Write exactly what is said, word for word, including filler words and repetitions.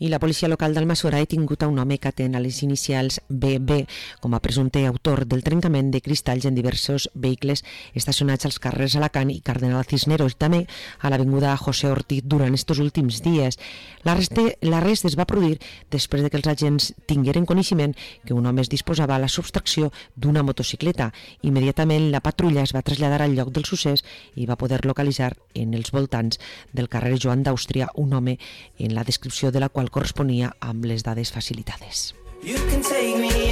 I la policia local d'Almassora ha detingut a un home que atén a les inicials B B com a presumpte autor del trencament de cristalls en diversos vehicles estacionats als carrers Alacant i Cardenal Cisneros i també a l'avinguda José Ortiz durant estos últims dies. L'arrest es va produir després de que els agents tingueren coneixement que un home es disposava a la subtracció d'una motocicleta. Immediatament la patrulla es va traslladar al lloc del succés i va poder localitzar en els voltants del carrer Joan d'Àustria un home en la descripció de la qual corresponia amb les dades facilitades. You can take me